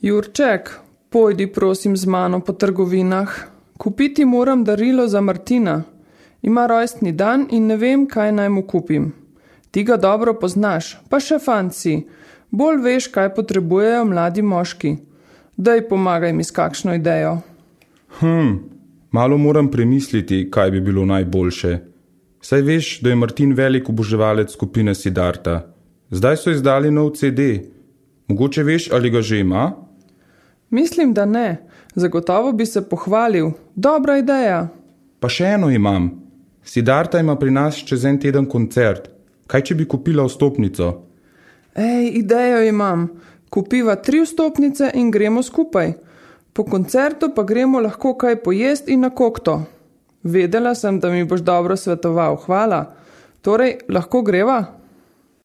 Jurček, pojdi prosim z mano po trgovinah. Kupiti moram darilo za Martina. Ima rojstni dan in ne vem, kaj naj mu kupim. Ti ga dobro poznaš, pa še fant si. Bolj veš, kaj potrebujejo mladi moški. Daj, pomagaj mi s kakšno idejo. Malo moram premisliti, kaj bi bilo najboljše. Saj veš, da je Martin velik oboževalec skupine Siddharta. Zdaj so izdali nov CD. Mogoče veš, ali ga že ima? Mislim, da ne. Zagotovo bi se pohvalil. Dobra ideja. Pa še eno imam. Siddharta ima pri nas čez en teden koncert. Kaj, če bi kupila vstopnico? Ej, idejo imam. Kupiva 3 vstopnice in gremo skupaj. Po koncertu pa gremo lahko kaj pojest in na kokto. Vedela sem, da mi boš dobro svetoval. Hvala. Torej, lahko greva?